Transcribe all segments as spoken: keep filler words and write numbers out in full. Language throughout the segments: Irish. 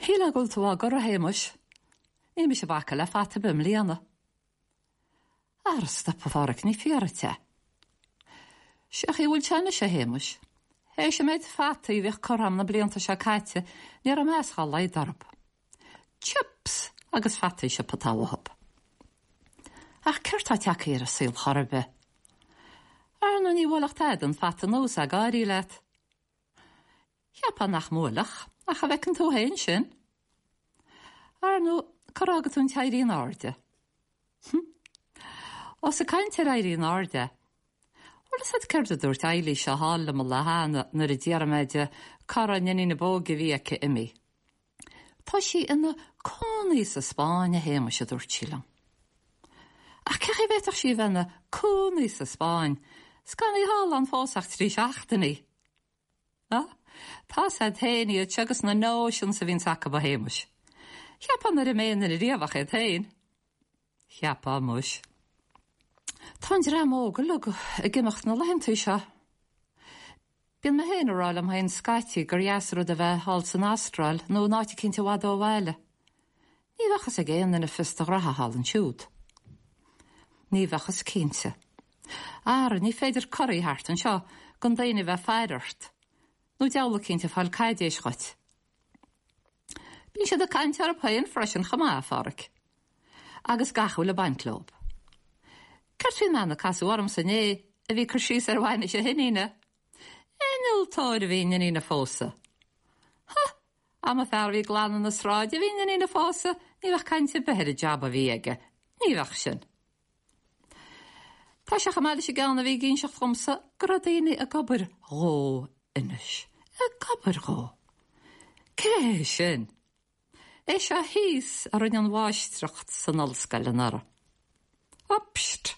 Shílfeá go bhfuil tú á gcur, a Shéamais. Níl mise ag bacadh le fata ar bith i mbliana. Ara stop a Pháraic, ní fíor duit é. Seo chaoi a bhfuil sé anois, a Shéamais. Théis an méid fataí a bhíodh curtha agam na blianta seo caite, ní raibh meas dhá laghad orthu. Chips agus fataí siopa atá uathu. Ach céard tá tagtha ar an saol chor ar bith? Ar ndóigh ní bhuailfeadh tada an fata anuas ag gáirí leat. Cheapfá nach mbuailfeadh, ach a bhfeiceann tú féin sin. Ar ndóigh, cá fhága tú an t-éirí in airde? Hm. Ós ag caint ar éirí in airde, bhfuil fhios agat céard a dúirt Eilís seo thall liom an lá cheana nuair a d'fhiafraigh mé di cá raibh an iníon ab óige a bhí aici imithe. Tá sí ina cónaí sa Spáinn, a Shéamais, a dúirt sí liom. Ach cén chaoi a bhféadfadh sí a bheith ina cónaí sa Spáinn, 's gan í thall ann fós ach trí seachtainí? Á, tá's a'd féin iad seo agus na notions a bhíonns acu, a Shéamais. Cheapfá nár imigh aon duine riamh ach iad féin. Cheapfá muis. Tá an dream óg uilig ag imeacht na laethantaí seo. Bíonn mé féin ag rá liom féin scaití gur dheas an rud a bheith thall san Astráil nó in áit eicínt i bhfad ó bhaile. Ní bheadh fhios ag aon duine fios do ghraithe thall ansiúd. Ní bheadh fhios cinnte. Ara, ní féidir corraí thart anseo gan daoine a bheith ag faire ort, nó diabhal eicínt ag fáil caidéis dhuit. Bíonn siad ag caint orthu féin freisin chomh maith, a Pháraic. Agus gach a bhfuil ag baint leob. Céard faoin mbean a casadh ormsa inné a bhí ag cur síos ar bhainis a hiníne? Innealtóir a bhí an iníon a phósadh. Ha! Dá mba fear a bhí ag glanadh na sráide a bhí an iníon a phósadh, ní bheadh caint ar bith ar an jab a bhí aige. Ní bheadh sin. Tá sé chomh maith leis an gceann a bhí ag inseacht dhomsa go raibh daoine ag obair dhó anois. Ag obair dhó. Cé hé sin? É seo thíos a rinne an mháistreacht san ollscoil anuraidh. Ó psst!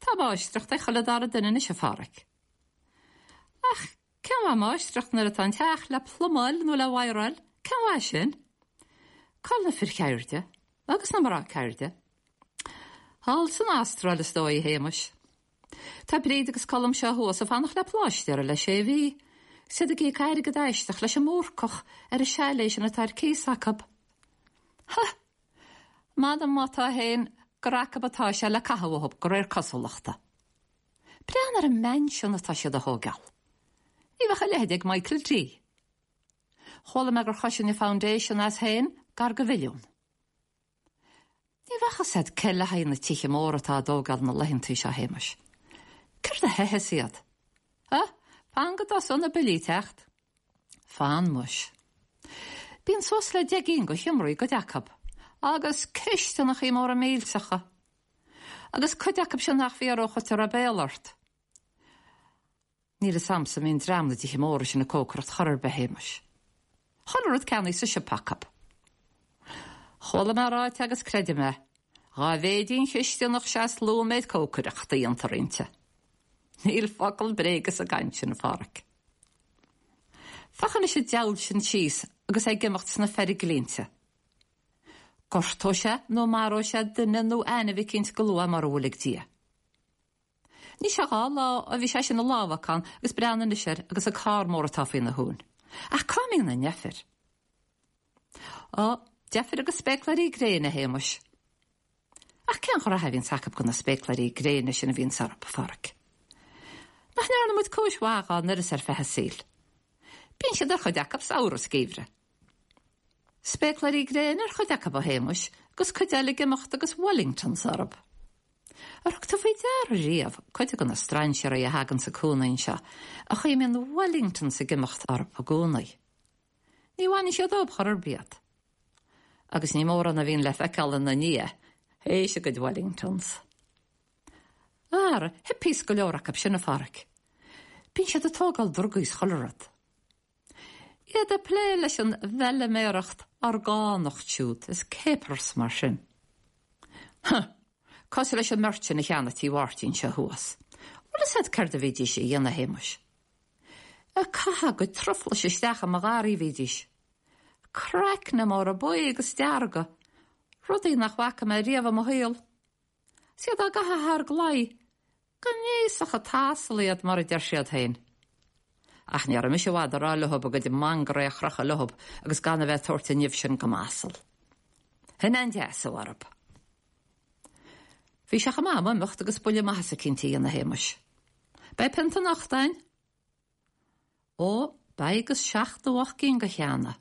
Tá máistreacht ag chuile dara duine anois, a Pháraic. Ach cén mhaith máistreacht nuair atá an teach le plumáil nó le wireáil? Cén mhaith sin? Cá bhfuil na fir cheirde agus na mná ceirde? Thall san Astráil is dóigh, a Shéamais. Tá Bríd agus Colm seo thuas ag fanacht le pláistéara le sé mhí. 'S iad ag íoc airgead aisteach leis an mBúrcach ar an chalet sin atá ar cíos acu. Ha! M'anam má tá féin gur acu atá sé le caitheamh uathu de réir cosúlachta. Breathnaigh ar an mansion atá siad a thógáil. Ní bheadh a leithéid ag Michael D. Chuala mé gur chosain an foundation as féin gar do mhilliún. Ní bheadh fhios a'd cé le haghaidh na tithe móra atá á dtógáil na laethantaí seo, a Shéamais. Céard a theitheas iad? Ha? Fan go dtosóidh na billí ag teacht. Fan muis. Bíonn suas le deich gcinn de sheomraí i gcuid acu, agus cisteanachaí móra millteacha. Agus cuid acu sin nach bhfiafródh dhuit a raibh béal ort. Níl fhios a'msa an mbíonn dream na dtithe móra sin ag cócaireacht chor ar bith, a Shéamais. Chuile rud ceannaithe sa siopa acu. Chuala mé ráite agus creidim é, dhá mhéid í an chisteanach sea is lú an méid cócaireachta a dhéantar inti. Níl focal bréige sa gcaint sin, a Pháraic. Féach anois an diabhal sin síos agus é ag imeacht sna feirglínte. Gortóidh sé nó maróidh sé duine nó ainmhí eicínt go luath mura bhfuil ag Dia. Ní sé dhá lá ó bhí sé sin i lámhacán agus breathnaigh anois air agus an carr mór atá faoina thóin. Ach cá mbíonn a ndeifir? Ó, deifir agus spéacláirí gréine, a Shéamais. Ach cén ghraithe a bhíonns acu do na spéacláirí gréine sin a bhíonns orthu, a Pháraic? Nach ndearna muid cúis mhaith dhá n-uireasa ar feadh an tsaoil? Bíonn siad ar chuid acu samhradh is geimhreadh. Spéacláirí gréine ar chuid acu, a Shéamais, agus cuid eile ag imeacht agus Wellingtons orthu. Ar thug tú faoi deara riamh cuid de na strainséirí a thaganns ag cónaí anseo, an chaoi a mbíonn Wellingtons ag imeacht orthu i gcónaí? Ní bhaineann siad dóibh chor ar bith iad. Agus ní mórán a bhíonn le feiceáil ina ndiaidh, théis a gcuid Wellingtons. Ara, hippies go leor acu sin, a Pháraic. Bíonn siad ag tógáil drugaí is chuile rud. Iad ag plé leis an bhfeiliméaracht orgánach siúd is capers mar sin. Huh! Cosúil leis an mbeirt sin a cheannaigh tí Mháirtín seo thuas. Bhfuil fhios a'd céard a bhídís a dhéanamh, a Shéamais? Ag caitheamh a gcuid truflais isteach i mo gharraí a bhídís. Craicne móra buí agus dearga, rudaí nach bhfaca mé riamh i mo shaol. 'S iad á gcaitheamh thar an gclaí, gnéasach an t-asal iad mar a deir siad féin. Ach ní raibh mise i bhfad ag rá leob a gcuid mangaraí a chrochadh leob agus gan a bheith ag tabhairt an nimh sin go m'asal. Shin é an deasú orthu. Bhí sé chomh maith agam imeacht agus buille maitheasa eicínt a dhéanamh a Shéamais. Beidh pionta anocht a'inn? Ó, beidh agus seachtó ocht gcinn de cheana.